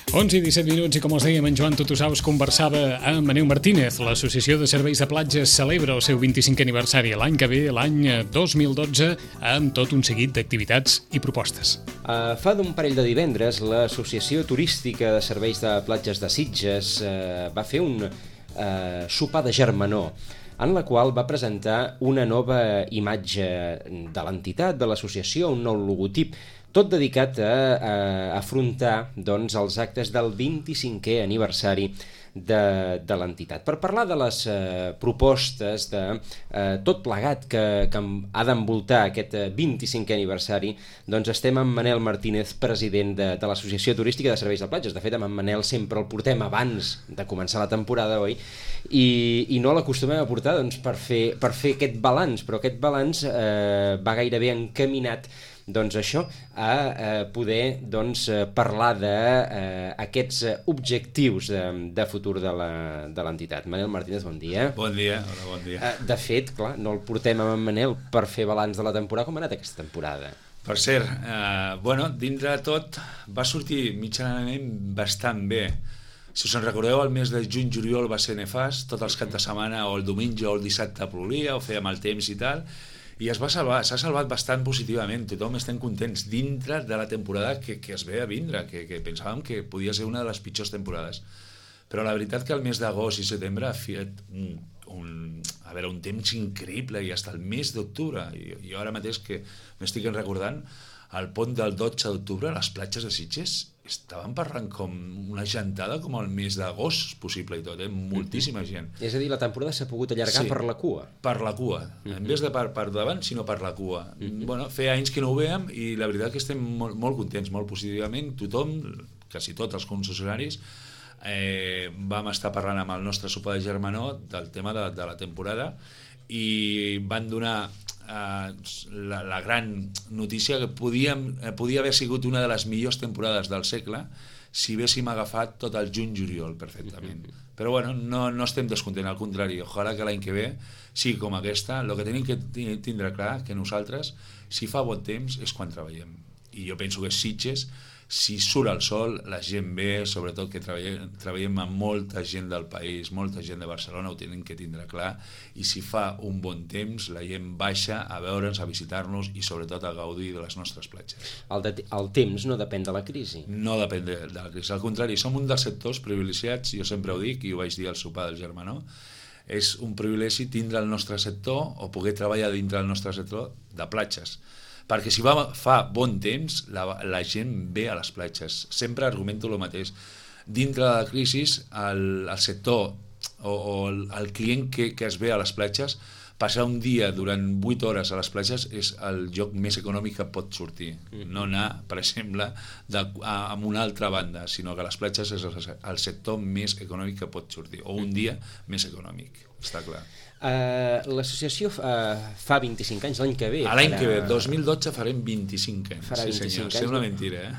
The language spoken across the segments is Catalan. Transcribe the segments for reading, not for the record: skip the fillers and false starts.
11 i 17 minuts i com els dèiem, en Joan Tutusaus conversava amb Manel Martínez. L'Associació de Serveis de Platges celebra el seu 25è aniversari l'any que ve, l'any 2012, amb tot un seguit d'activitats i propostes. Fa d'un parell de divendres, l'Associació Turística de Serveis de Platges de Sitges va fer un sopar de germanor, en la qual va presentar una nova imatge de l'entitat, de l'associació, un nou logotip, tot dedicat a afrontar els actes del 25è aniversari de l'entitat. Per parlar de les propostes de tot plegat que ha d'envoltar aquest 25è aniversari, doncs estem amb Manel Martínez, president de l'Associació Turística de Serveis de Platges. De fet, amb en Manel sempre el portem abans de començar la temporada, oi? I no l'acostumem a portar per fer aquest balanç, però aquest balanç va gairebé encaminat a poder parlar d'aquests objectius de futur de l'entitat. Manel Martínez, bon dia. Bon dia, hola, bon dia. De fet, clar, no el portem amb en Manel per fer balanç de la temporada. Com ha anat aquesta temporada? Per cert, dintre de tot va sortir mitjanament bastant bé. Si us en recordeu, el mes de juny-juliol va ser nefast, tots els caps de setmana o el diumenge o el dissabte plolia o feia mal temps i tal, i es va salvar, s'ha salvat bastant positivament, tothom estem contents dintre de la temporada que es ve a vindre, que pensàvem que podia ser una de les pitjors temporades. Però la veritat que el mes d'agost i setembre ha fet un temps increïble, i fins el mes d'octubre, i ara mateix que m'estic recordant, al pont del 12 d'octubre, les platges de Sitges estaven parlant com una gentada com el mes d'agost possible i tot, moltíssima gent. És a dir, la temporada s'ha pogut allargar per la cua. Per la cua, en vez de per davant, sinó per la cua. Feia anys que no ho veiem i la veritat que estem molt contents, molt positivament. Tothom, quasi tots els concessionaris, vam estar parlant amb el nostre sopar de germanor del tema de la temporada i van donar la gran notícia que podia haver sigut una de les millors temporades del segle si haguéssim agafat tot el juny-juliol perfectament. Però no estem descontents, al contrari, ojalà que l'any que ve sigui com aquesta. El que tenim que tindre clar que nosaltres, si fa bon temps, és quan treballem. I jo penso que Sitges, si surt el sol, la gent ve, sobretot que treballem amb molta gent del país, molta gent de Barcelona, ho tenen que tindre clar, i si fa un bon temps, la gent baixa a veure'ns, a visitar-nos i sobretot a gaudir de les nostres platges. El temps no depèn de la crisi. No depèn de la crisi, al contrari, som un dels sectors privilegiats, jo sempre ho dic, i ho vaig dir al sopar del germanor, és un privilegi tindre el nostre sector o poder treballar dintre del nostre sector de platges. Perquè si fa bon temps, la gent ve a les platges. Sempre argumento el mateix. Dintre de la crisi, el sector o el client que es ve a les platges, passar un dia durant 8 hores a les platges és el lloc més econòmic que pot sortir. No anar, per exemple, a una altra banda, sinó que les platges és el sector més econòmic que pot sortir, o un dia més econòmic, està clar. L'associació fa 25 anys, l'any que ve. L'any que ve, 2012 farem 25 anys. Farà 25 senyor, anys. Sembla mentira,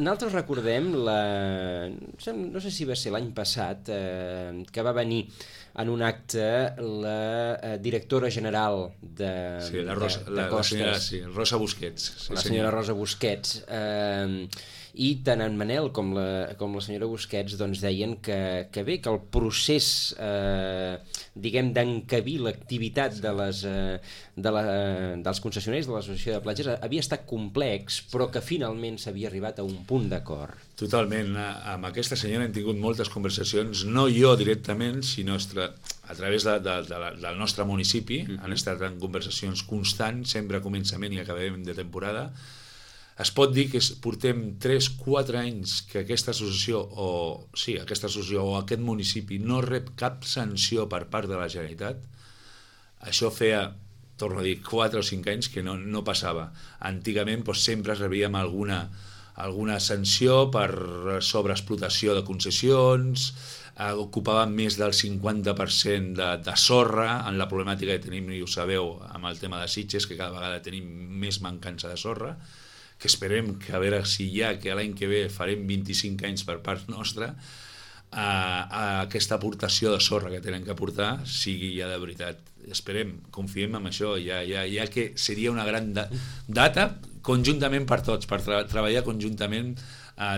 Nosaltres recordem, no sé si va ser l'any passat, que va venir en un acte la directora general de Costes. Rosa Busquets. La senyora Rosa Busquets. I tant en Manel com la senyora Busquets deien que bé, que el procés d'encabir l'activitat dels concessionaris de l'Associació de Platges havia estat complex, però que finalment s'havia arribat a un punt d'acord. Totalment. Amb aquesta senyora hem tingut moltes conversacions, no jo directament, sinó a través del nostre municipi. Han estat en conversacions constants, sempre a començament i acabem de temporada. Es pot dir que portem 3-4 anys que aquesta associació o aquest municipi no rep cap sanció per part de la Generalitat. Això feia, torno a dir, 4 o 5 anys que no passava. Antigament sempre rebíem alguna sanció per sobreexplotació de concessions, ocupaven més del 50% de sorra, en la problemàtica que tenim, i ho sabeu, amb el tema de Sitges, que cada vegada tenim més mancança de sorra, que esperem que a veure si que l'any que ve farem 25 anys per part nostra, aquesta aportació de sorra que tenen que aportar sigui ja de veritat. Esperem, confiem en això, ja que seria una gran data, conjuntament per tots, per treballar conjuntament,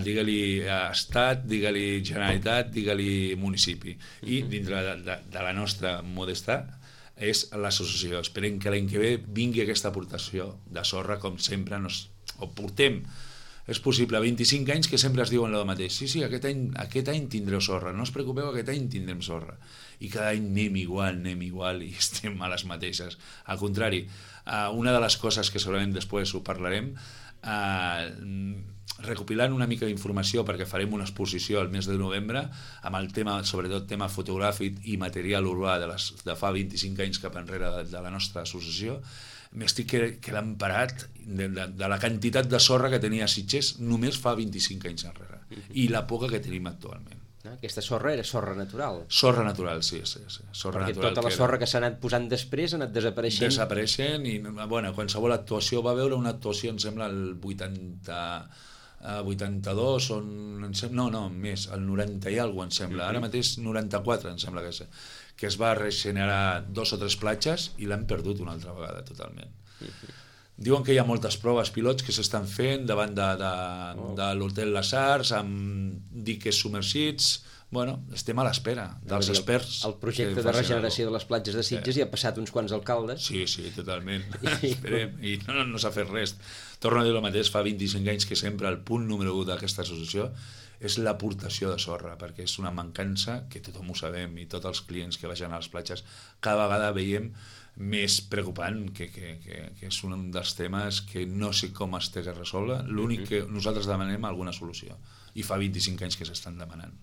digue-li Estat, digue-li Generalitat, digue-li municipi. I dintre de la nostra modesta és l'associació. Esperem que l'any que ve vingui aquesta aportació de sorra, com sempre ho portem. És possible, 25 anys que sempre es diuen el mateix. Sí, aquest any tindreu sorra, no us preocupeu, aquest any tindrem sorra. I cada any anem igual i estem a les mateixes. Al contrari, una de les coses que segurament després ho parlarem, recopilant una mica d'informació perquè farem una exposició al mes de novembre amb el tema, sobretot tema fotogràfic i material urbà de fa 25 anys cap enrere de la nostra associació, m'estic quedant parat de la quantitat de sorra que tenia Sitges només fa 25 anys enrere i la poca que tenim actualment. Aquesta sorra era sorra natural. Sorra natural, sí. Sorra perquè natural, tota la sorra que s'ha anat posant després ha anat desapareixent. Desapareixent i, bueno, qualsevol actuació va veure una actuació, em sembla, el 82, més, el 90 i alguna cosa, em sembla. Ara mateix 94, em sembla que es va regenerar 2 o 3 platges i l'han perdut una altra vegada totalment. Diuen que hi ha moltes proves pilots que s'estan fent davant de l'hotel Les Arts, amb diques submergits. Bueno, estem a l'espera dels experts. El projecte de regeneració de les platges de Sitges hi ha passat uns quants alcaldes. Sí, totalment. Esperem. I no s'ha fet res. Torno a dir el mateix, fa 25 anys que sempre el punt número 1 d'aquesta associació és l'aportació de sorra, perquè és una mancança que tothom ho sabem i tots els clients que vagin a les platges cada vegada veiem més preocupant, que és un dels temes que no sé com es té que resoldre. L'únic que nosaltres demanem alguna solució i fa 25 anys que s'estan demanant.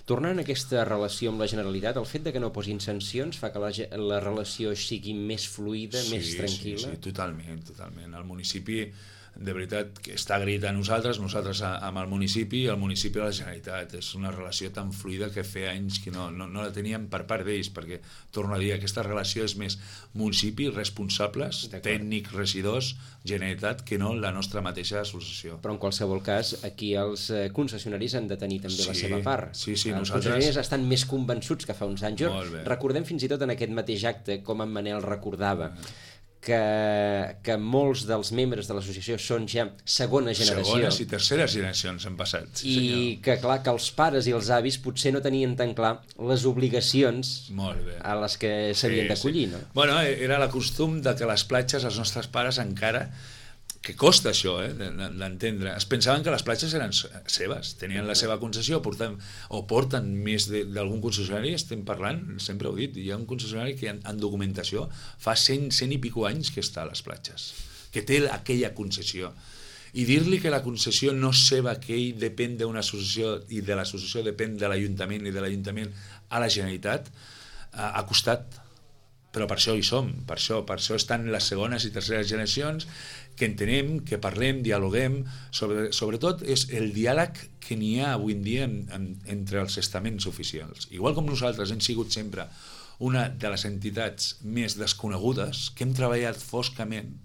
Tornant a aquesta relació amb la Generalitat, el fet de que no posin sancions fa que la relació sigui més fluida, més tranquil·la? Sí, totalment. El municipi, de veritat, que està agraït a nosaltres amb el municipi i el municipi de la Generalitat. És una relació tan fluida que feia anys que no la teníem per part d'ells, perquè, torno a dir, aquesta relació és més municipi, responsables, tècnics, regidors, Generalitat, que no la nostra mateixa associació. Però en qualsevol cas, aquí els concessionaris han de tenir també la seva part. Sí, els concessionaris estan més convençuts que fa uns anys. Recordem fins i tot en aquest mateix acte com en Manel recordava que molts dels membres de l'associació són ja segona generació. Segones i terceres generacions han passat. Sí, i que clar, que els pares i els avis potser no tenien tan clar les obligacions a les que s'havien d'acollir. No? Bueno, era la costum de que les platges, els nostres pares encara, que costa això, d'entendre. Es pensaven que les platges eren seves, tenien la seva concessió, porten més d'algun concessionari, estem parlant, sempre ho he dit, hi ha un concessionari que en documentació fa 100 i pico anys que està a les platges, que té aquella concessió. I dir-li que la concessió no és seva, que ell depèn d'una associació i de l'associació depèn de l'Ajuntament i de l'Ajuntament a la Generalitat, ha costat. Però per això hi som, per això estan les segones i terceres generacions, que entenem, que parlem, dialoguem, sobretot és el diàleg que n'hi ha avui en dia entre els estaments oficials. Igual com nosaltres hem sigut sempre una de les entitats més desconegudes, que hem treballat foscament,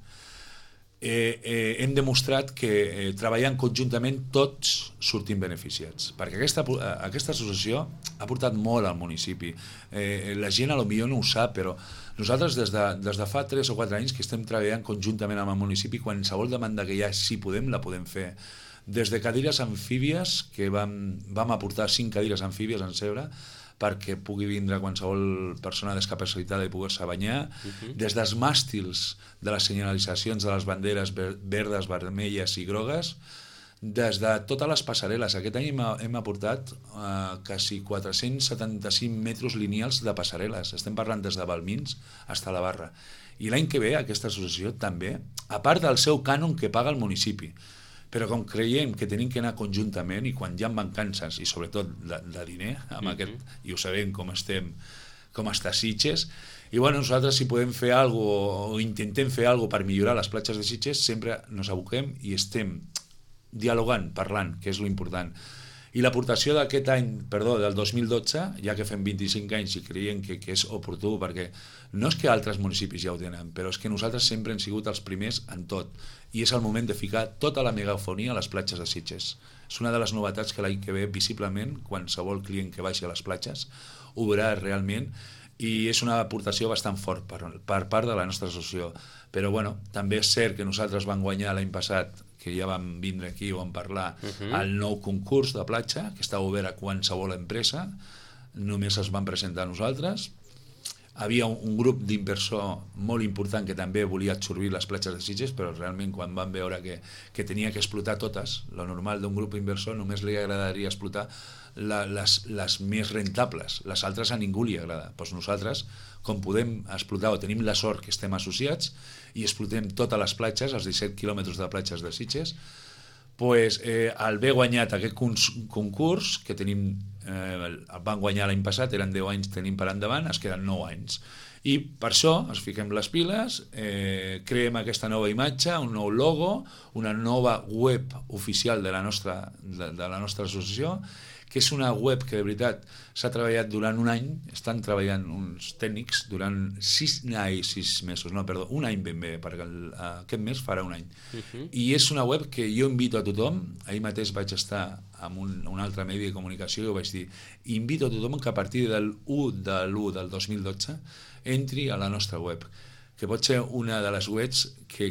hem demostrat que treballant conjuntament tots sortim beneficiats, perquè aquesta associació ha portat molt al municipi. La gent potser no ho sap, però nosaltres des de fa 3 o 4 anys que estem treballant conjuntament amb el municipi, qualsevol demanda que hi ha, si podem, la podem fer. Des de cadires amfíbies, que vam aportar 5 cadires amfíbies en Cebre, perquè pugui vindre qualsevol persona discapacitada i poder-se banyar, des dels màstils de les senyalitzacions de les banderes verdes, vermelles i grogues, des de totes les passarel·les. Aquest any hem aportat quasi 475 metres lineals de passarel·les. Estem parlant des de Balmins fins a la Barra. I l'any que ve aquesta associació també, a part del seu cànon que paga el municipi, però com creiem que tenim que anar conjuntament i quan hi ha mancances, i sobretot de diner, amb aquest, i ho sabem com està Sitges, i bueno, nosaltres si podem fer alguna cosa o intentem fer alguna cosa per millorar les platges de Sitges, sempre ens aboquem i estem dialogant, parlant, que és l'important. I l'aportació d'aquest any, del 2012, ja que fem 25 anys i creiem que és oportú, perquè no és que altres municipis ja ho tenen, però és que nosaltres sempre hem sigut els primers en tot, i és el moment de ficar tota la megafonia a les platges de Sitges. És una de les novetats que l'any que ve, visiblement, qualsevol client que vagi a les platges ho veurà realment, i és una aportació bastant fort per part de la nostra associació. Però bueno, també és cert que nosaltres vam guanyar l'any passat, que ja vam vindre aquí o vam parlar, el nou concurs de platja, que està obert a qualsevol empresa, només es van presentar a nosaltres. Havia un grup d'inversor molt important que també volia absorbir les platges de Sitges, però realment quan van veure que tenia que explotar totes, lo normal d'un grup inversor només li agradaria explotar les més rentables, les altres a ningú li agrada. Doncs nosaltres, com podem explotar o tenim la sort que estem associats i explotem totes les platges, els 17 quilòmetres de platges de Sitges, pues, al haver guanyat aquest concurs, que tenim, el van guanyar l'any passat, eren 10 anys, tenim per endavant, es queden 9 anys. I per això ens fiquem les piles, creem aquesta nova imatge, un nou logo, una nova web oficial de la nostra associació, que és una web que de veritat s'ha treballat durant un any, estan treballant uns tècnics durant 6 mesos, un any ben bé, perquè aquest mes farà un any. I és una web que jo invito a tothom, ahir mateix vaig estar amb un altre medi de comunicació i ho vaig dir, invito a tothom que a partir del 1 de l'1 del 2012 entri a la nostra web, que pot ser una de les webs que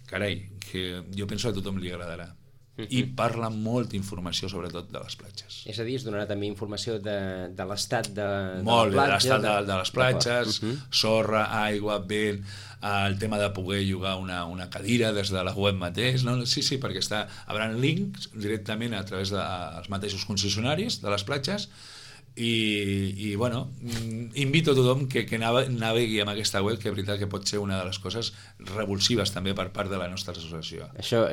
carai, que jo penso que a tothom li agradarà. I parla molta informació sobretot de les platges. És a dir, es donarà també informació de l'estat de la platja. Molt, de l'estat de les platges, sorra, aigua, vent, el tema de poder llogar una cadira des de la web mateix, no? Sí, perquè haurà links directament a través dels mateixos concessionaris de les platges. I bueno, invito a tothom que navegui amb aquesta web, que és veritat que pot ser una de les coses revulsives també per part de la nostra associació. Això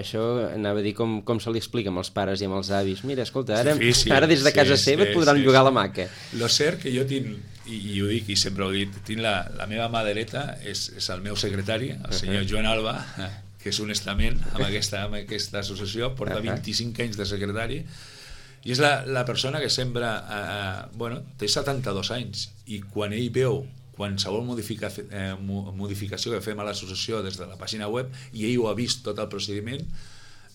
anava a dir com se li explica amb els pares i amb els avis. Mira, escolta, ara des de casa seva et podran llogar la maca. Lo cert que jo tinc, i ho dic i sempre ho he dit, tinc la meva mà dreta, és el meu secretari, el senyor Joan Alba, que és un estament amb aquesta associació, porta 25 anys de secretari, i és la persona que sempre té 72 anys, i quan ell veu qualsevol modificació que fem a l'associació des de la pàgina web, i ell ho ha vist tot el procediment,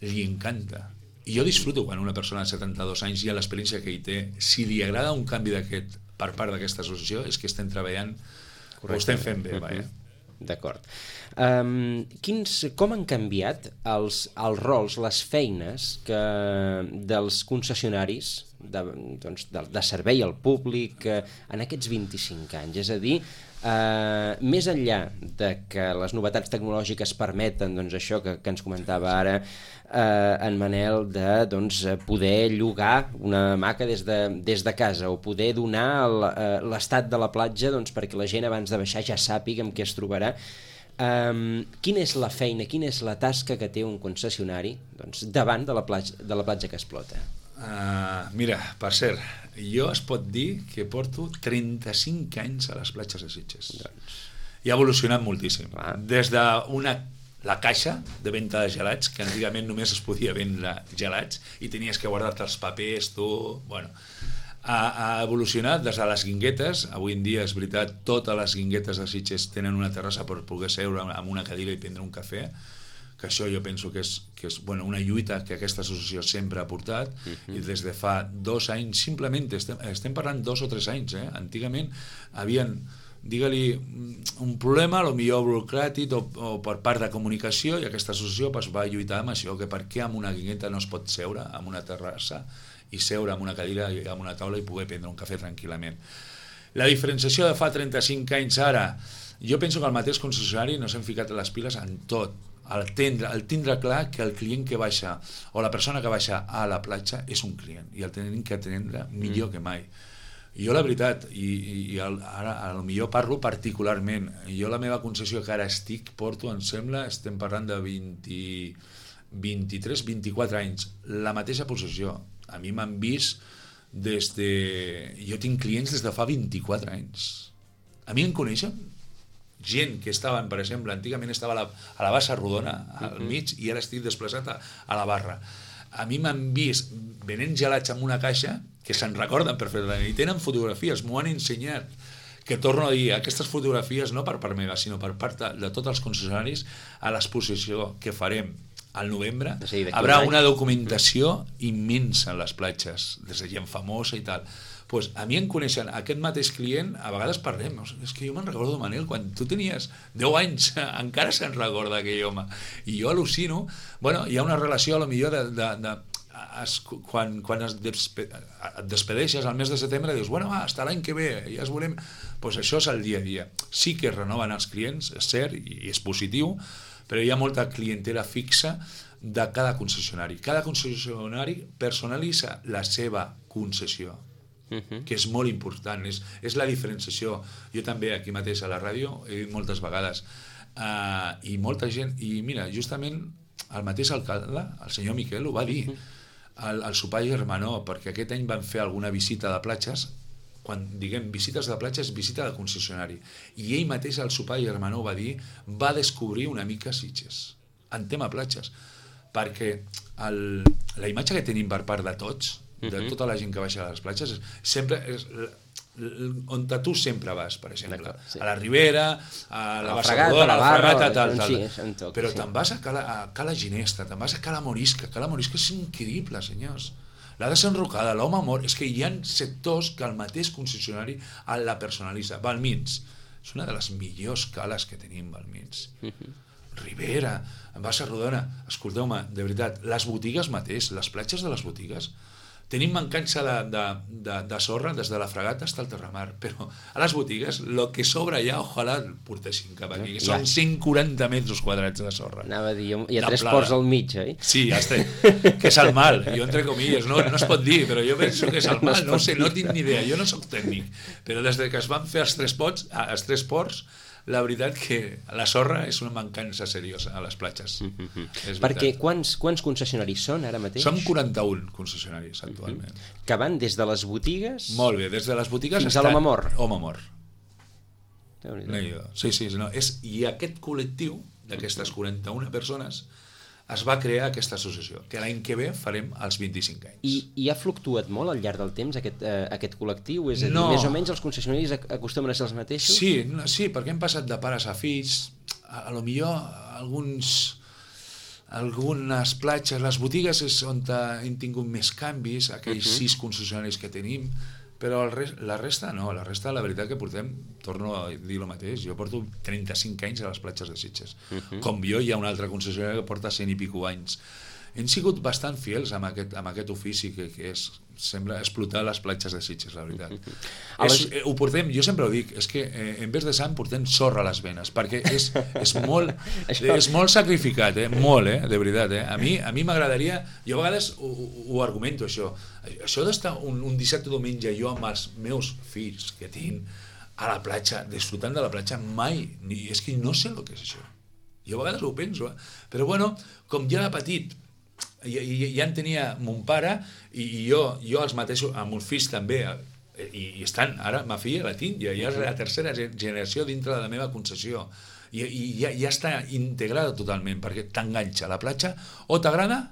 li encanta. I jo disfruto quan una persona de 72 anys, i a l'experiència que ell té, si li agrada un canvi d'aquest per part d'aquesta associació, és que estem treballant, ho estem fent bé, vaja. D'acord. Com han canviat els rols, les feines dels concessionaris de servei al públic en aquests 25 anys? És a dir, més enllà de que les novetats tecnològiques permeten això que ens comentava ara en Manel, de poder llogar una hamaca des de casa, o poder donar l'estat de la platja perquè la gent abans de baixar ja sàpiga amb què es trobarà. Quina és la feina, quina és la tasca que té un concessionari davant de la platja que explota? Mira, per cert, jo es pot dir que porto 35 anys a les platges de Sitges. I ha evolucionat moltíssim. Des de la caixa de venda de gelats, que antigament només es podia vendre gelats i tenies que guardar-te els papers, ha evolucionat des de les guinguetes. Avui en dia, és veritat, totes les guinguetes de Sitges tenen una terrassa per poder seure amb una cadira i prendre un cafè, que això jo penso que és una lluita que aquesta associació sempre ha portat, i des de fa 2 anys, simplement estem parlant 2 o 3 anys, antigament havien, digue-li, un problema, potser burocràtic o per part de comunicació, i aquesta associació va lluitar amb això, que per què amb una guingueta no es pot seure amb una terrassa i seure amb una cadira i amb una taula i poder prendre un cafè tranquil·lament. La diferenciació de fa 35 anys ara, jo penso que el mateix concessionari no s'han ficat les piles en tot, el tindre clar que el client que baixa o la persona que baixa a la platja és un client, i el tenim que atendre millor que mai. Jo la veritat, i ara potser parlo particularment, jo la meva concessió que ara porto, em sembla, estem parlant de 23-24 anys, la mateixa possessió. A mi m'han vist jo tinc clients des de fa 24 anys. A mi em coneixen gent que estaven, per exemple, antigament estava a la bassa rodona, al mig, i ara estic desplaçat a la barra. A mi m'han vist venent gelats amb una caixa, que se'n recorden perfectament, i tenen fotografies, m'ho han ensenyat, que torno a dir, aquestes fotografies no per part meva, sinó per part de tots els concessionaris a l'exposició que farem al novembre. Haurà una documentació immensa en les platges, des de gent famosa i tal. pues a mi em coneixen aquest mateix client, a vegades parlem, és que jo me'n recordo, Manel, quan tu tenies 10 anys, encara se'n recorda aquell home, i jo al·lucino, bueno, hi ha una relació a lo millor quan et despedeixes al mes de setembre, dius, bueno, hasta l'any que ve, ja es veurem, pues això és el dia a dia. Sí que es renoven els clients, és cert, i és positiu, però hi ha molta clientela fixa de cada concessionari. Cada concessionari personalitza la seva concessió, que és molt important, és la diferenciació. Jo també aquí mateix a la ràdio he dit moltes vegades, i molta gent, i mira, justament el mateix alcalde, el senyor Miquel, ho va dir al sopar germanó, perquè aquest any van fer alguna visita de platges. Quan diguem visites de platges, visita de concessionari, i ell mateix al sopar germanó va dir, va descobrir una mica Sitges en tema platges, perquè la imatge que tenim per part de tots, de tota la gent que baixa a les platges, sempre és on tu sempre vas, per exemple, sí. A la Ribera, a la Bassadora, a la Fragata, tal. Però te'n vas a Cala Ginesta, te'n vas a Cala Morisca. Cala Morisca és increïble, senyors. La de Sant Rocada, l'Home Amor, és que hi ha sectors que el mateix concessionari la personalitza. Balmins, és una de les millors cales que tenim, Balmins. Ribera, Bassa Rodona, escolteu-me, de veritat, les botigues mateix, les platges de les botigues, tenim mancança de sorra des de la Fragata fins al Terramar, però a les botigues el que sobra ja, ojalà el portessin cap aquí, que són 140 metres quadrats de sorra. Anava a dir, hi ha 3 ports al mig, oi? Sí, que és el mal, jo entre comilles, no es pot dir, però jo penso que és el mal, no sé, no tinc ni idea, jo no soc tècnic, però des que es van fer els 3 ports, la veritat que la sorra és una mancança seriosa a les platges. Perquè quants concessionaris són ara mateix? Som 41 concessionaris actualment. Que van des de les botigues... Molt bé, des de les botigues fins a l'Home Amor. Home Amor. Sí, i aquest col·lectiu d'aquestes 41 persones es va crear aquesta associació, que l'any que ve farem els 25 anys. I ha fluctuat molt al llarg del temps aquest col·lectiu? És a dir, més o menys els concessionaris acostumen a ser els mateixos? Sí, perquè hem passat de pares a fills, a lo millor algunes platges, les botigues és on hem tingut més canvis, aquells 6 concessionaris que tenim, però la resta no, la resta la veritat que portem, torno a dir el mateix, jo porto 35 anys a les platges de Sitges, com jo hi ha un altre concessionari que porta 100 i pico anys. Hem sigut bastant fidels amb aquest ofici que sembla explotar les platges de Sitges, la veritat. Ho portem, jo sempre ho dic, és que en vez de sang portem sorra a les venes, perquè és molt sacrificat, molt, de veritat. A mi m'agradaria, jo a vegades ho argumento això d'estar un dissabte o diumenge jo amb els meus fills que tinc a la platja, disfrutant de la platja, mai, és que no sé el que és això. Jo a vegades ho penso, però bueno, com ja de petit, ja en tenia mon pare i jo els mateixos, amb uns fills també, i estan, ara ma filla la tinc, ja és la tercera generació dintre de la meva concessió, i ja està integrada totalment, perquè t'enganxa a la platja, o t'agrada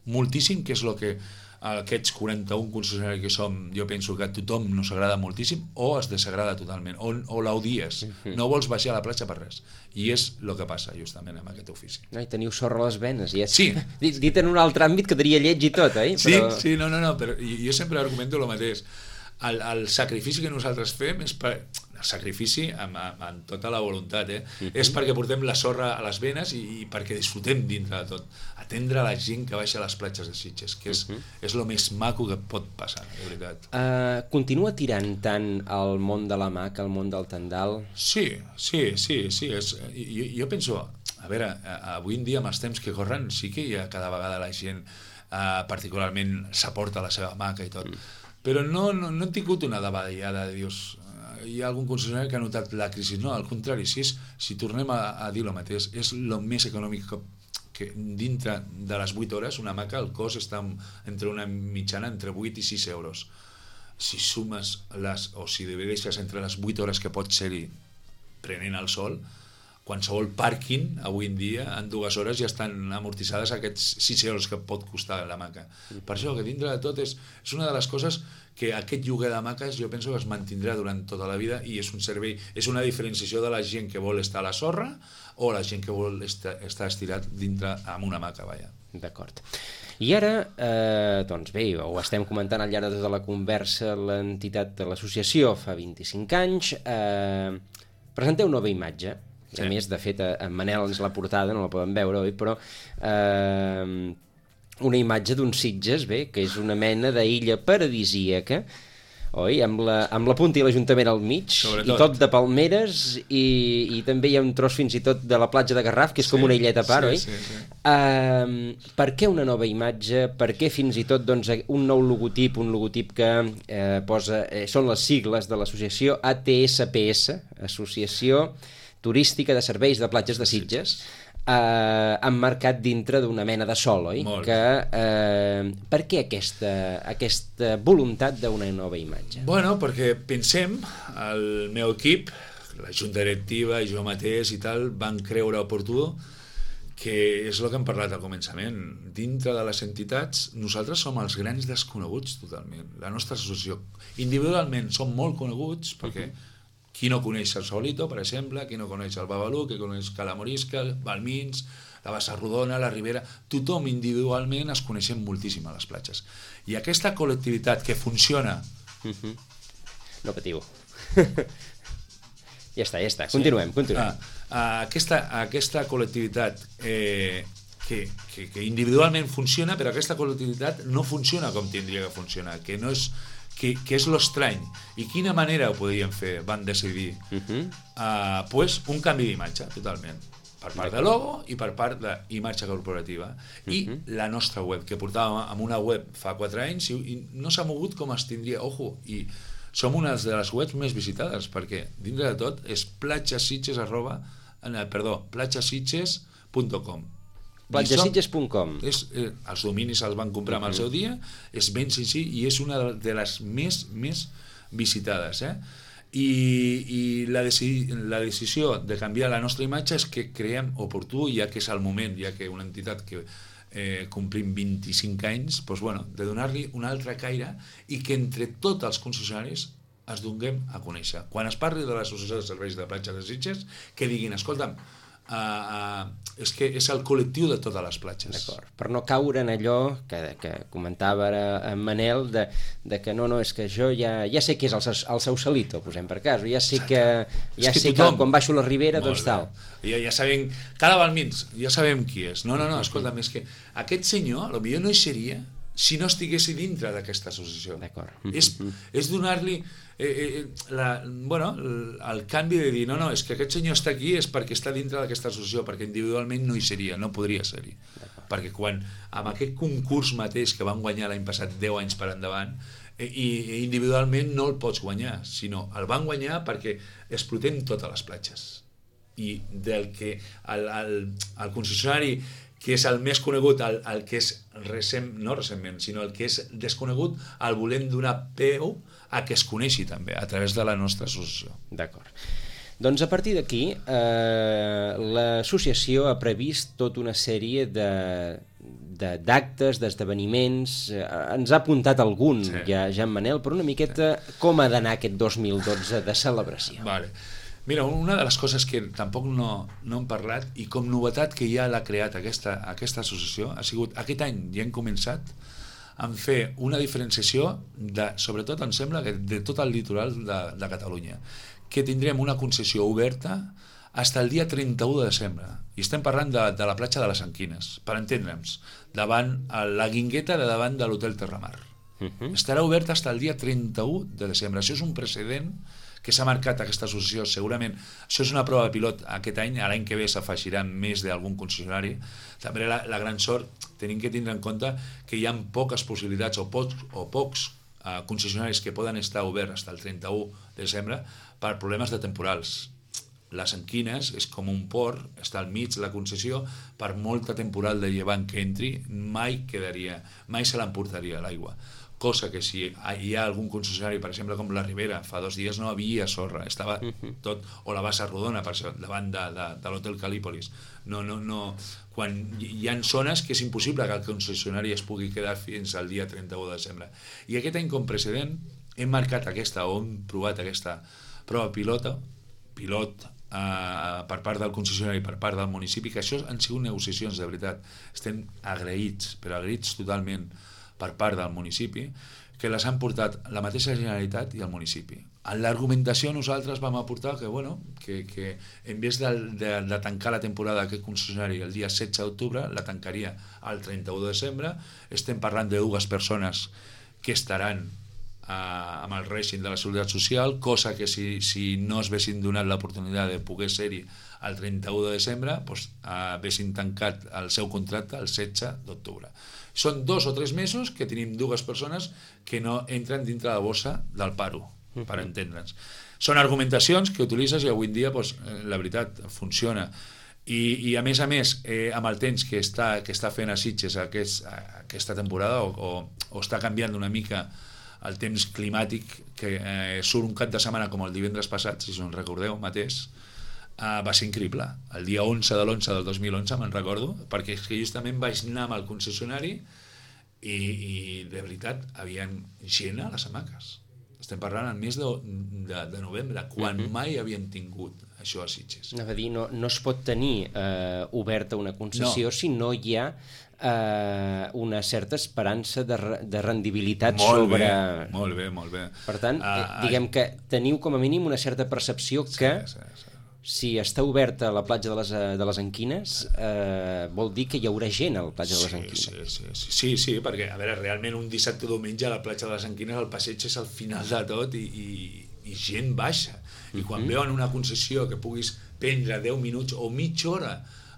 moltíssim, que és el que aquests 41 concessionaris que som, jo penso que a tothom no s'agrada moltíssim, o es desagrada totalment, o l'odies, no vols baixar a la platja per res, i és el que passa justament amb aquest ofici. I teniu sorra a les venes, i és sí. Dit en un altre àmbit que diria lleig i tot, eh? Sí, no, però jo sempre argumento el mateix, el sacrifici que nosaltres fem és per... El sacrifici amb tota la voluntat, és perquè portem la sorra a les venes i perquè disfrutem dintre de tot. Atendre la gent que baixa a les platges de Sitges, que és el més maco que pot passar, de veritat. Continua tirant tant el món de l'hamaca, el món del tendal? Sí. Jo penso, a veure, avui en dia amb els temps que corren sí que hi ha cada vegada la gent particularment s'aporta la seva hamaca i tot, però no he tingut una davallada de dius... Hi ha algun concessionari que ha notat la crisi. No, al contrari, si tornem a dir el mateix, és el més econòmic que dintre de les 8 hores una hamaca, el cost està entre una mitjana entre 8 i 6 euros. Si sumes o si divideixes entre les 8 hores que pot ser-hi prenent el sol, qualsevol pàrquing avui en dia en 2 hores ja estan amortitzades aquests 6 euros que pot costar l'hamaca. Per això que dintre de tot és una de les coses que aquest lloguer d'hamaques jo penso que es mantindrà durant tota la vida i és un servei, és una diferenciació de la gent que vol estar a la sorra o la gent que vol estar estirat dintre amb una hamaca, vaja. D'acord. I ara, doncs bé, ho estem comentant al llarg de tota la conversa, l'entitat de l'associació fa 25 anys, presenteu nova imatge. Sí. A més, de fet, en Manel ens l'ha portada, no la podem veure, oi? Però una imatge d'un Sitges, bé, que és una mena d'illa paradisíaca, oi? Amb la punta i l'Ajuntament al mig, sobretot. I tot de palmeres, i també hi ha un tros fins i tot de la platja de Garraf, que és com una illeta a part, oi? Sí. Per què una nova imatge? Per què fins i tot doncs, un nou logotip, un logotip que posa... són les sigles de l'associació ATSPS, Associació Turística de Serveis de Platges de Sitges, emmarcat dintre d'una mena de sol, oi? Molt. Per què aquesta voluntat d'una nova imatge? Bueno, perquè pensem, el meu equip, la junta directiva i jo mateix i tal, van creure oportú que és el que hem parlat al començament. Dintre de les entitats, nosaltres som els grans desconeguts totalment. La nostra associació, individualment, som molt coneguts perquè qui no coneix el Saulito, per exemple, qui no coneix el Babalú, qui coneix Cala Morisca, Balmins, la Bassa Rodona, la Ribera, tothom individualment es coneixem moltíssim a les platges. I aquesta col·lectivitat que funciona... No patiu. Ja està. Continuem. Aquesta col·lectivitat que individualment funciona, però aquesta col·lectivitat no funciona com tindria que funcionar, que no és... que és l'estrany. I quina manera ho podríem fer? Van decidir pues un canvi d'imatge, totalment. Per part de logo i per part d'imatge corporativa. I la nostra web, que portàvem amb una web fa 4 anys i no s'ha mogut com es tindria. Ojo, i som una de les webs més visitades, perquè dintre de tot és platgesitges.com. platgesitges.com. Els dominis els van comprar amb el seu dia, és ben senzill i és una de les més visitades. I la decisió de canviar la nostra imatge és que creiem oportú, ja que és el moment, ja que una entitat que complim 25 anys, doncs, bueno, de donar-li un altre caire i que entre tots els concessionaris es donem a conèixer. Quan es parli de l'Associació de Serveis de Platges de Sitges, que diguin, escolta'm, és que és el col·lectiu de totes les platges. D'acord. Per no caure en allò que comentava ara en Manel de que no, és que jo ja sé que és el Sausalito, posem per cas, ja sé que quan baixo la Ribera doncs tal. Ja sabem, cada Balmins, ja sabem qui és. No, escolta'm, és que aquest senyor potser no hi seria si no estigués dintre d'aquesta associació. D'acord. És donar-li el canvi de dir és que aquest senyor està aquí és perquè està dintre d'aquesta associació, perquè individualment no hi seria, no podria ser-hi. Perquè quan amb aquest concurs mateix que van guanyar l'any passat 10 anys per endavant, i individualment no el pots guanyar, sinó el van guanyar perquè explotem totes les platges. I del que el concessionari que és el més conegut, el que és no recentment, sinó el que és desconegut, el volem donar peu a que es coneixi també, a través de la nostra associació. D'acord. Doncs a partir d'aquí, l'associació ha previst tota una sèrie d'actes, d'esdeveniments, ens ha apuntat algun, ja en Manel, però una miqueta com ha d'anar aquest 2012 de celebració. Vale. Mira, una de les coses que tampoc no hem parlat i com novetat que ja l'ha creat aquesta associació ha sigut, aquest any ja hem començat a fer una diferenciació sobretot em sembla que de tot el litoral de Catalunya, que tindrem una concessió oberta fins al dia 31 de desembre i estem parlant de la platja de les Anquines, per entendre'ns, davant la Guingueta de davant de l'Hotel Terramar. Estarà oberta fins al dia 31 de desembre. Això és un precedent que s'ha marcat aquesta associació, segurament això és una prova pilot aquest any, l'any que ve s'afegiran més d'algun concessionari. També la gran sort, tenim que tindre en compte que hi ha poques possibilitats o pocs concessionaris que poden estar oberts fins al 31 de desembre per problemes de temporals. Les Anquines és com un port, està al mig la concessió, per molta temporal de llevant que entri mai se l'emportaria l'aigua. cosa que si hi ha algun concessionari, per exemple, com la Ribera, fa 2 dies no havia sorra, estava tot, o la Bassa Rodona, per això, davant de l'Hotel Calípolis. No, quan hi ha zones que és impossible que el concessionari es pugui quedar fins al dia 31 de desembre. I aquest any, com precedent, hem marcat hem provat aquesta prova pilot per part del concessionari, per part del municipi, que això han sigut negociacions, de veritat. Estem agraïts, però agraïts totalment per part del municipi, que les han portat la mateixa Generalitat i el municipi. En l'argumentació nosaltres vam aportar que en vez de tancar la temporada d'aquest concessionari el dia 16 d'octubre, la tancaria el 31 de desembre. Estem parlant de 2 persones que estaran amb el règim de la Seguretat Social, cosa que si no es vessin donat l'oportunitat de poder ser-hi el 31 de desembre, doncs haguessin tancat el seu contracte el 16 d'octubre. Són 2 o 3 mesos que tenim 2 persones que no entren dintre la bossa del paro, per entendre'ns. Són argumentacions que utilitzes i avui en dia, la veritat, funciona. I a més, amb el temps que està fent a Sitges aquesta temporada, o està canviant una mica el temps climàtic, que surt un cap de setmana com el divendres passat, si us en recordeu mateix, va ser increïble. El dia 11 de l'11 del 2011 me'n recordo, perquè és que justament vaig anar amb el concessionari i de veritat havien gent a les hamaques. Estem parlant al mes de novembre, quan mai havíem tingut això a Sitges. Anava a dir, no es pot tenir oberta una concessió si no hi ha una certa esperança de rendibilitat sobre... Molt bé. Per tant, diguem que teniu com a mínim una certa percepció que si està oberta la platja de les Anquines, vol dir que hi haurà gent a la platja de les Anquines. Sí, perquè, a veure, realment un dissabte o diumenge a la platja de les Anquines el passeig és al final de tot i gent baixa. I quan veuen una concessió que puguis prendre 10 minuts o mitja hora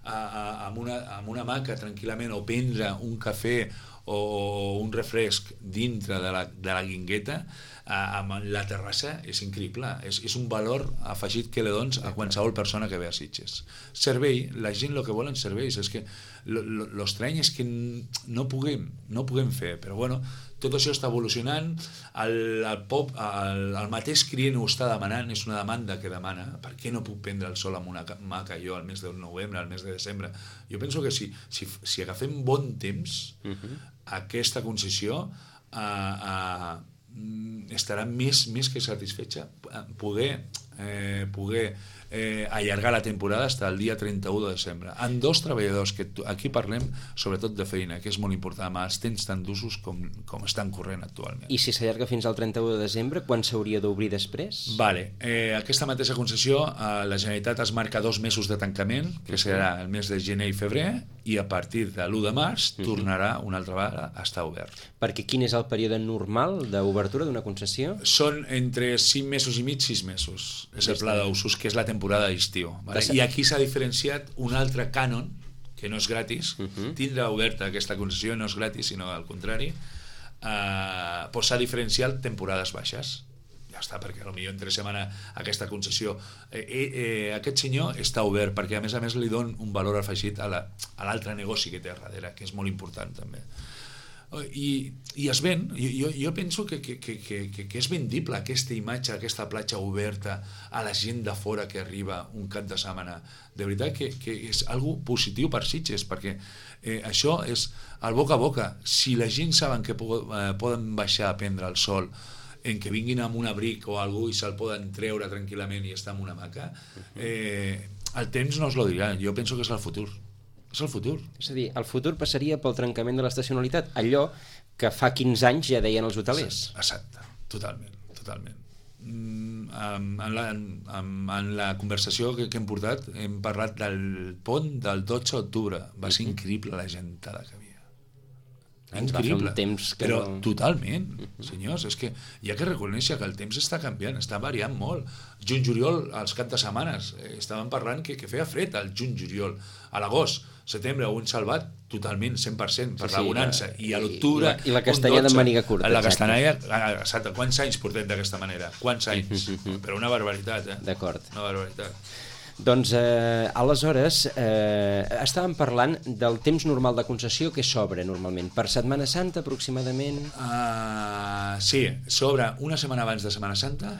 amb una hamaca tranquil·lament, o prendre un cafè o un refresc dintre de la guingueta amb la terrassa, és increïble. És un valor afegit que li dones a qualsevol persona que ve a Sitges. Servei, la gent el que volen serveis, és que l'estrany és que no puguem fer, però bueno, tot això està evolucionant, el mateix client ho està demanant, és una demanda que demana, per què no puc prendre el sol amb una hamaca jo al mes de novembre, al mes de desembre? Jo penso que si agafem bon temps, aquesta concessió estarà més que satisfetxa poder allargar la temporada fins al dia 31 de desembre amb 2 treballadors, que aquí parlem sobretot de feina, que és molt important amb els temps tan d'usos com estan corrent actualment. I si s'allarga fins al 31 de desembre, quan s'hauria d'obrir després? Aquesta mateixa concessió, la Generalitat es marca 2 mesos de tancament, que serà el mes de gener i febrer, i a partir de l'1 de març tornarà una altra vegada a estar obert. Perquè quin és el període normal d'obertura d'una concessió? Són entre 5 mesos i mig, 6 mesos. És el pla d'usos, que és la temporada d'estiu. I aquí s'ha diferenciat un altre cànon, que no és gratis. Tindrà oberta aquesta concessió, no és gratis, sinó al contrari. S'ha diferenciat temporades baixes. Ja està, perquè potser entre setmana aquesta concessió aquest senyor està obert, perquè a més li don un valor afegit a l'altre negoci que té a darrere, que és molt important també. I es ven. Jo penso que és vendible aquesta imatge, aquesta platja oberta a la gent de fora que arriba un cap de setmana. De veritat que és algo positiu per Sitges, perquè això és el boca a boca. Si la gent saben que poden baixar a prendre el sol, en que vinguin amb un abric o alguna cosa i se'l poden treure tranquil·lament i estar en una hamaca, el temps no us lo dirà. Jo penso que és el futur. És el futur. És a dir, el futur passaria pel trencament de l'estacionalitat, allò que fa 15 anys ja deien els hotelers. Exacte, totalment. En la conversació que hem portat hem parlat del pont del 12 d'octubre. Va ser increïble la gentada que havia. Ens va fer un temps que però totalment, senyors, és que hi ha que reconèixer que el temps està canviant, està variant molt. Juny-juliol, als cap de setmanes, estàvem parlant que feia fred al juny-juliol. A l'agost, setembre ho hem salvat totalment, 100%, per la bonança. I a l'octubre... I la castanyada amb màniga curta. La castanyada, exacte. Quants anys portem d'aquesta manera? Quants anys? Però una barbaritat, D'acord. Una barbaritat. Doncs, aleshores, estàvem parlant del temps normal de concessió que s'obre normalment. Per Setmana Santa, aproximadament? Sí, s'obre una setmana abans de Setmana Santa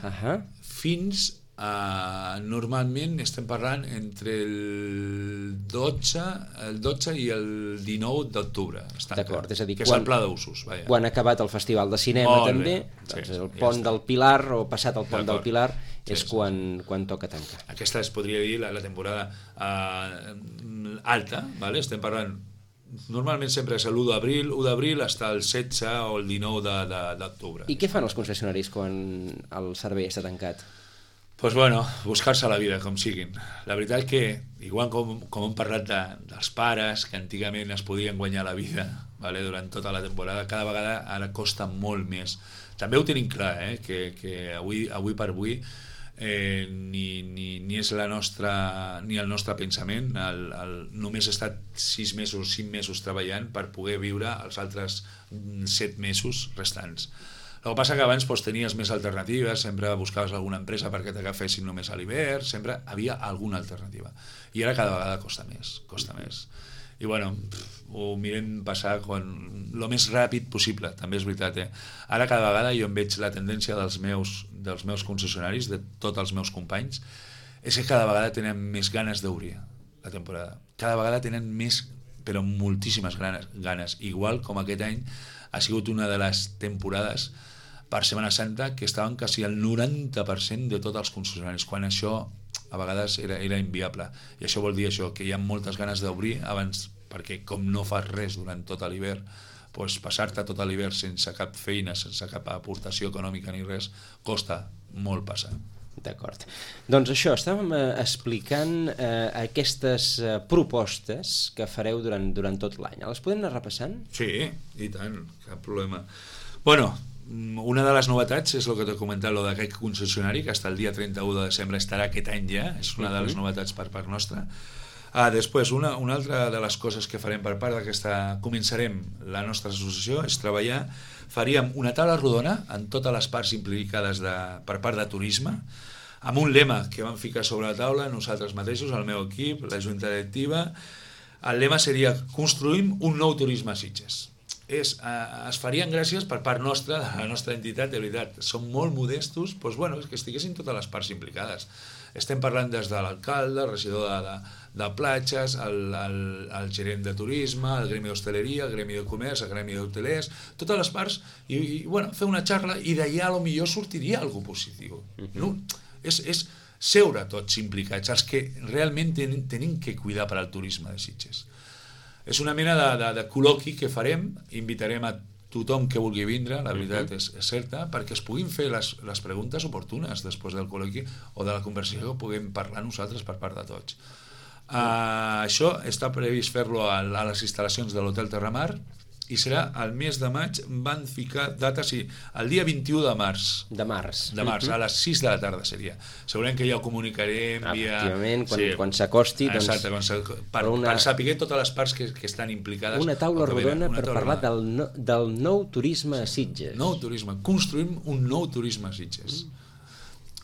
fins normalment estem parlant entre el 12 i el 19 d'octubre. D'acord, és a dir, que és el pla d'usos. Quan ha acabat el Festival de Cinema també, doncs el Pont del Pilar o passat el Pont del Pilar és quan toca tancar. Aquesta es podria dir la temporada alta, estem parlant normalment sempre és l'1 d'abril, 1 d'abril fins el 16 o el 19 d'octubre. I què fan els concessionaris quan el servei està tancat? Doncs bueno, buscar-se la vida, com siguin. La veritat que, igual com hem parlat dels pares, que antigament es podien guanyar la vida durant tota la temporada, cada vegada ara costa molt més. També ho tenim clar, que avui per avui ni és ni el nostre pensament, només he estat 6 mesos, 5 mesos treballant per poder viure els altres 7 mesos restants. El que passa que abans tenies més alternatives, sempre buscaves alguna empresa perquè t'agafessin només a l'hivern, sempre havia alguna alternativa. I ara cada vegada costa més. I bueno, ho mirem passar el més ràpid possible, també és veritat. Ara cada vegada jo em veig la tendència dels meus concessionaris, de tots els meus companys, és que cada vegada tenen més ganes d'obrir la temporada. Cada vegada tenen més, però moltíssimes ganes. Igual com aquest any ha sigut una de les temporades per Setmana Santa que estaven quasi al 90% de tots els concessionaris, quan això a vegades era inviable. I això vol dir això, que hi ha moltes ganes d'obrir abans, perquè com no fas res durant tot l'hivern, passar-te tot l'hivern sense cap feina, sense cap aportació econòmica ni res, costa molt passar. D'acord. Doncs això, estàvem explicant aquestes propostes que fareu durant tot l'any. Les podem anar repassant? Sí, i tant, cap problema. Bueno, una de les novetats és el que t'he comentat, el d'aquest concessionari, que fins el dia 31 de desembre estarà aquest any ja, és una de les novetats per part nostra. Després, una altra de les coses que farem per part d'aquesta... Començarem la nostra associació, és treballar, faríem una taula rodona en totes les parts implicades per part de turisme, amb un lema que vam ficar sobre la taula nosaltres mateixos, el meu equip, la junta directiva. El lema seria: construïm un nou turisme a Sitges. Es farien gràcies per part nostra, de la nostra entitat, de veritat. Som molt modestos, doncs, que estiguessin totes les parts implicades. Estem parlant des de l'alcalde, el regidor de platges, el gerent de turisme, el gremi d'hostaleria, el gremi de comerç, el gremi d'hotelers, totes les parts, i fer una xarra, i d'allà potser sortiria alguna cosa positiu. No? És seure tots implicats, els que realment tenim que cuidar per al turisme de Sitges. És una mena de col·loqui que farem, invitarem a tothom que vulgui vindre, la veritat és certa, perquè es puguin fer les preguntes oportunes després del col·loqui o de la conversació que puguem parlar nosaltres per part de tots. Això està previst fer-lo a les instal·lacions de l'Hotel Terramar, i serà el mes de maig, van ficar data, sí, el dia 21 de març. De març. A les 6 de la tarda seria. Segurament que ja ho comunicarem via... Efectivament, quan s'acosti... Exacte, per saber totes les parts que estan implicades. Una taula rodona per parlar del nou turisme a Sitges. Nou turisme, construïm un nou turisme a Sitges.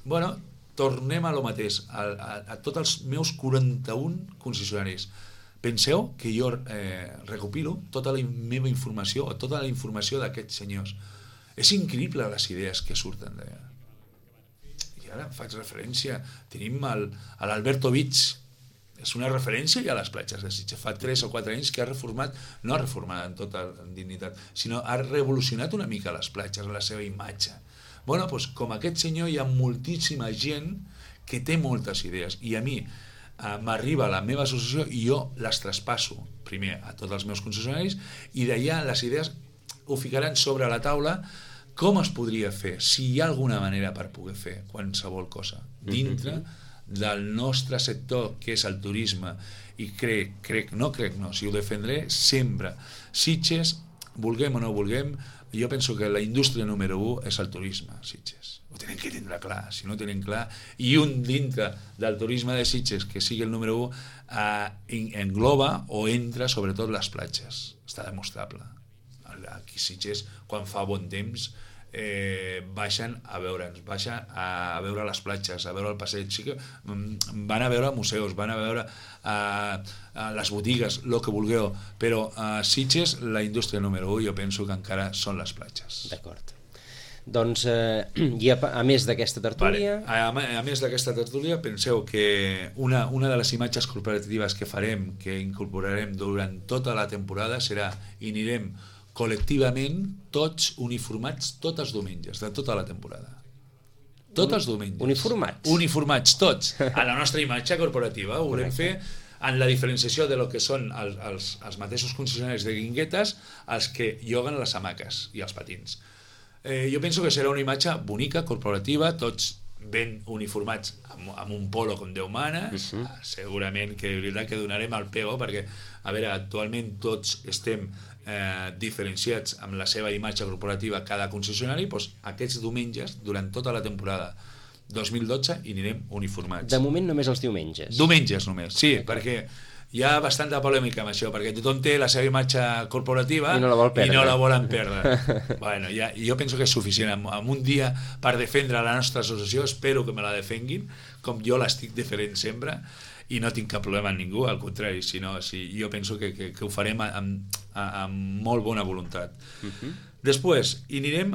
Bueno, tornem a lo mateix, a tots els meus 41 concessionaris. Penseu que jo recopilo tota la meva informació o tota la informació d'aquests senyors. És increïble les idees que surten d'allà. I ara faig referència, tenim l'Alberto Beach, és una referència ja a les platges de Sitges. Fa 3 o 4 anys que ha reformat, no ha reformat en tota dignitat, sinó ha revolucionat una mica les platges, la seva imatge. Bueno, doncs com aquest senyor hi ha moltíssima gent que té moltes idees, i a mi m'arriba a la meva associació i jo les traspasso primer a tots els meus concessionaris, i d'allà les idees ho ficaran sobre la taula com es podria fer, si hi ha alguna manera per poder fer qualsevol cosa dintre del nostre sector, que és el turisme. I si ho defendré sempre. Sitges, vulguem o no vulguem, jo penso que la indústria número 1 és el turisme, Sitges. Ho tenen que tindre clar. Si no ho tenen clar, i un dintre del turisme de Sitges que sigui el número 1 engloba o entra sobretot les platges. Està demostrable. Aquí Sitges, quan fa bon temps, baixen a veure'ns, baixen a veure les platges, a veure el passeig. Sí que van a veure museus, van a veure les botigues, el que vulgueu, però a Sitges la indústria número 1 jo penso que encara són les platges. D'acord. Doncs, i a més d'aquesta tertúlia... Vale. A més d'aquesta tertúlia, penseu que una de les imatges corporatives que farem, que incorporarem durant tota la temporada, serà, i anirem col·lectivament tots uniformats tots els diumenges de tota la temporada. Tots els diumenges. Uniformats? Uniformats, tots. A la nostra imatge corporativa ho volem fer en la diferenciació de lo que són els mateixos concessionaris de guinguetes, els que lloguen les hamaques i els patins. Jo penso que serà una imatge bonica, corporativa, tots ben uniformats amb un polo com Déu mana. Segurament que és veritat que donarem el pego, perquè, a veure, actualment tots estem diferenciats amb la seva imatge corporativa cada concessionari, doncs aquests diumenges, durant tota la temporada 2012, hi anirem uniformats. De moment només els diumenges. Diumenges només, sí, perquè hi ha bastanta polèmica amb això, perquè tothom té la seva imatge corporativa i no la vol perdre. I no la volen perdre. Bueno, jo penso que és suficient. Amb un dia per defendre la nostra associació, espero que me la defenguin, com jo l'estic defendent sempre, i no tinc cap problema amb ningú, al contrari, jo penso que ho farem amb molt bona voluntat. Després, hi anirem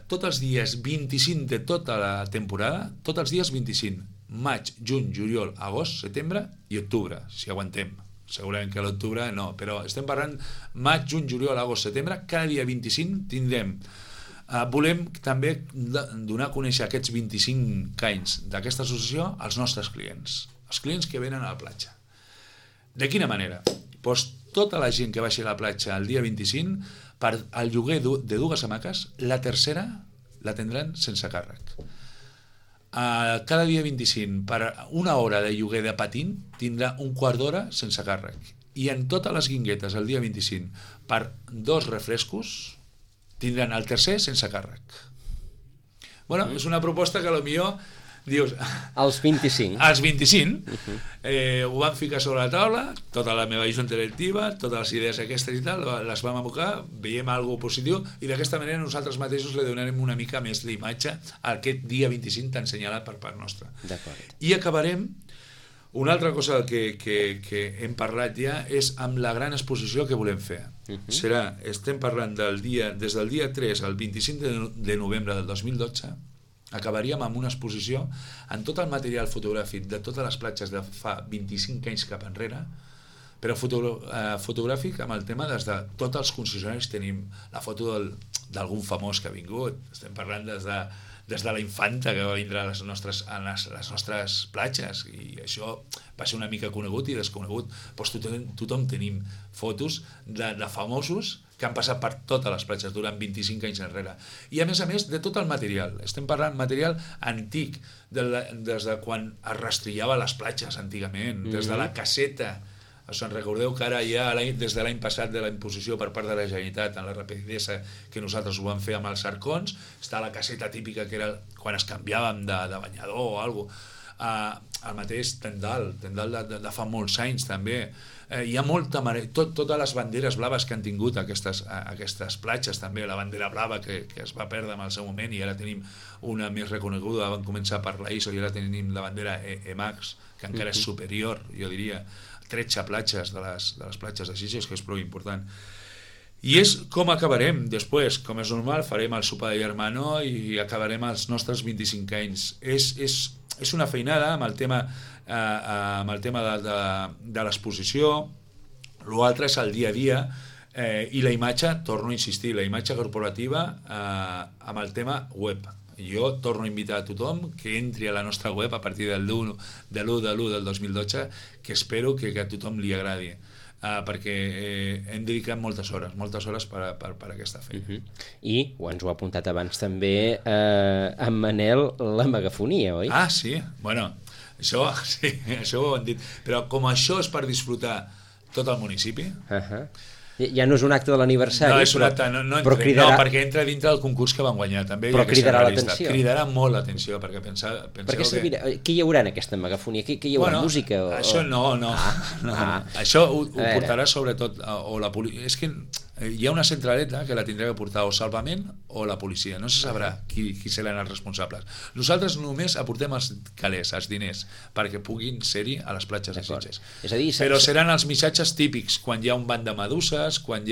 tots els dies 25 de tota la temporada, tots els dies 25, maig, juny, juliol, agost, setembre i octubre, si aguantem. Segurament que a l'octubre no, però estem parlant maig, juny, juliol, agost, setembre, cada dia 25 tindrem. Volem també donar a conèixer aquests 25 anys d'aquesta associació als nostres clients, els clients que venen a la platja. De quina manera? Doncs tota la gent que baixi a la platja el dia 25, per al lloguer de dues hamaques, la tercera la tindran sense càrrec. Cada dia 25, per una hora de lloguer de patín, tindrà un quart d'hora sense càrrec. I en totes les guinguetes el dia 25, per 2 refrescos, tindran el tercer sense càrrec. Bueno, és una proposta que potser dius... Els 25. Els 25. Ho vam ficar sobre la taula, tota la meva junta directiva, totes les idees aquestes i tal, les vam abocar, veiem alguna cosa positiu, i d'aquesta manera nosaltres mateixos li donarem una mica més d'imatge a aquest dia 25 tan senyalat per part nostra. I acabarem. Una altra cosa que hem parlat ja és amb la gran exposició que volem fer. Estem parlant des del dia 3 al 25 de novembre del 2012, acabaríem amb una exposició en tot el material fotogràfic de totes les platges de fa 25 anys cap enrere, però fotogràfic amb el tema des de tots els concessionaris. Tenim la foto d'algun famós que ha vingut, estem parlant des de la infanta que va vindre a les nostres platges, i això va ser una mica conegut i desconegut. Doncs tothom tenim fotos de famosos que han passat per totes les platges durant 25 anys enrere. I a més, de tot el material. Estem parlant material antic, des de quan es rastrillava les platges antigament, des de la caseta. Se'n recordeu que ara ja, des de l'any passat, de la imposició per part de la Generalitat en la rapidesa que nosaltres ho vam fer amb els arcons, està la caseta típica que era quan es canviàvem de banyador o alguna cosa. El mateix tendal de fa molts anys també. Hi ha molta totes les banderes blaves que han tingut aquestes platges també, la bandera blava que es va perdre en el seu moment i ara tenim una més reconeguda, vam començar per la ISO i ara tenim la bandera EMAX, que encara és superior, jo diria, 13 platges de les platges de Sitges, que és prou important. I és com acabarem després. Com és normal, farem el sopar de germanor i acabarem els nostres 25 anys. És una feinada amb el tema de l'exposició. L'altre és el dia a dia, i la imatge, torno a insistir, la imatge corporativa amb el tema web. Jo torno a invitar a tothom que entri a la nostra web a partir del 1 de l'1 del 2012, que espero que a tothom li agradi, perquè hem dedicat moltes hores per aquesta feina. I ens ho ha apuntat abans també en Manel, la megafonia, oi? Ah, sí, bueno, això ho han dit, però com això és per disfrutar tot el municipi... Ja no és un acte de l'aniversari, però cridarà... No, perquè entra dintre del concurs que van guanyar, també. Però cridarà l'atenció. Cridarà molt l'atenció, perquè penseu que... Què hi haurà en aquesta megafonia? Què hi haurà? Música? Això no. Això ho portarà sobretot... És que hi ha una centraleta que la tindrà que portar o Salvament o la policia, no se sabrà qui seran els responsables. Nosaltres només aportem els calés, els diners, perquè puguin ser-hi a les platges de Sitges. És a dir, però seran els missatges típics, quan hi ha un banc de meduses, quan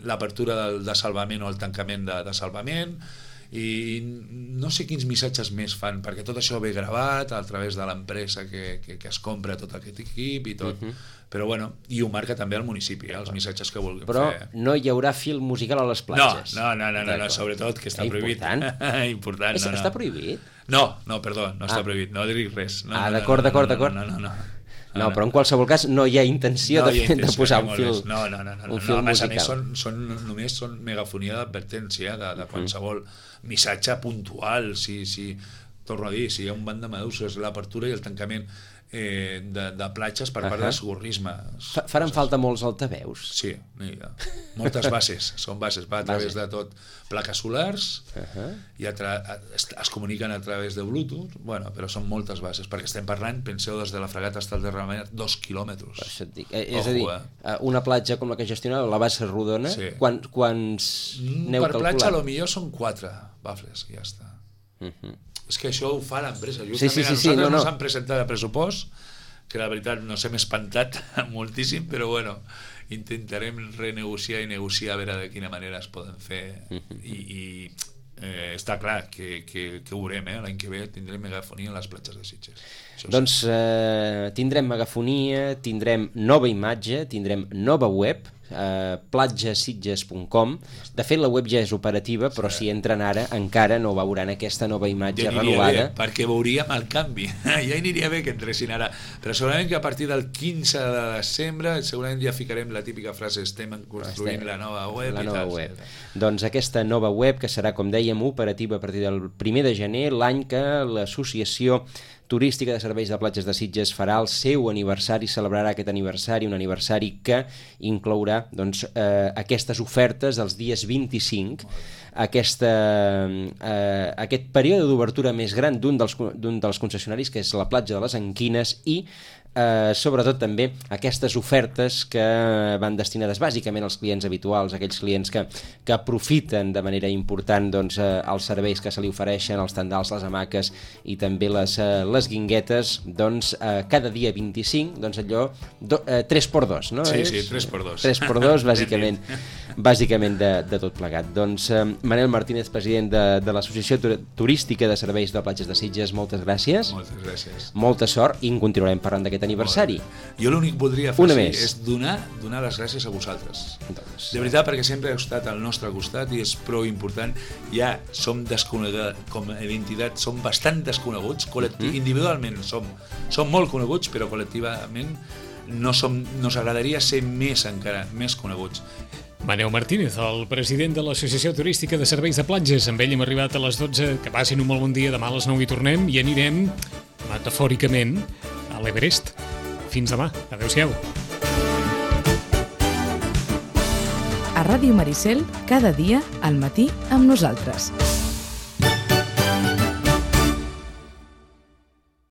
l'apertura de salvament o el tancament de salvament, i no sé quins missatges més fan, perquè tot això ve gravat a través de l'empresa que es compra tot aquest equip i tot, però bueno, i ho marca també el municipi, els missatges que vulguem fer. Però no hi haurà film musical a les platges. No, sobretot, que està prohibit. Important. Està prohibit? No, perdó, no està prohibit, no dic res. D'acord. No, però en qualsevol cas no hi ha intenció de posar un film musical. Només són megafonia d'advertència de qualsevol missatge puntual. Torno a dir, si hi ha un banc de meduses, l'apertura i el tancament de platges per part del socorrisme. Faran falta molts altaveus? Sí, moltes bases, són bases, va a través de tot, plaques solars, i es comuniquen a través de Bluetooth, però són moltes bases, perquè estem parlant, penseu, des de la fregata hasta el derramament, 2 quilòmetres. És a dir, una platja com la que gestionava la bassa rodona, quants n'heu calculat? Per platja, potser són 4 bafles, i ja està. És que això ho fa l'empresa. Justament a nosaltres no s'han presentat a pressupost, que la veritat nos hem espantat moltíssim, però bueno, intentarem renegociar i negociar a veure de quina manera es poden fer, i està clar que ho veurem, l'any que ve tindrem megafonia a les platges de Sitges. Doncs tindrem megafonia, tindrem nova imatge, tindrem nova web, platgesitges.com. De fet, la web ja és operativa, però si entren ara encara no veuran aquesta nova imatge renovada. Perquè veuríem el canvi. Ja aniria bé que entressin ara, però segurament que a partir del 15 de desembre segurament ja ficarem la típica frase: estem construint la nova web. Doncs aquesta nova web, que serà, com dèiem, operativa a partir del 1 de gener, l'any que l'Associació Turística de Serveis de Platges de Sitges farà el seu aniversari, celebrarà aquest aniversari, un aniversari que inclourà aquestes ofertes dels dies 25, aquest període d'obertura més gran d'un dels concessionaris, que és la platja de les Anquines, i sobretot també aquestes ofertes que van destinades bàsicament als clients habituals, aquells clients que aprofiten de manera important els serveis que se li ofereixen, els tendals, les hamaques i també les guinguetes, cada dia 25, allò 3x2, no? Sí, 3x2. 3x2, bàsicament de tot plegat. Doncs Manel Martínez, president de l'Associació Turística de Serveis de Platges de Sitges, moltes gràcies. Moltes gràcies. Molta sort, i en continuarem parlant d'aquest aniversari. Jo l'únic que voldria fer és donar les gràcies a vosaltres. De veritat, perquè sempre heu estat al nostre costat i és prou important. Ja som desconeguts, com a entitat som bastant desconeguts, individualment som molt coneguts, però col·lectivament nos agradaria ser encara més coneguts. Manel Martínez, el president de l'Associació Turística de Serveis de Platges. Amb ell hem arribat a les 12. Que passin un molt bon dia. Demà a les 9 hi tornem i anirem, metafòricament, a l'Everest. Fins demà. Adéu-siau. A Ràdio Maricel, cada dia, al matí, amb nosaltres.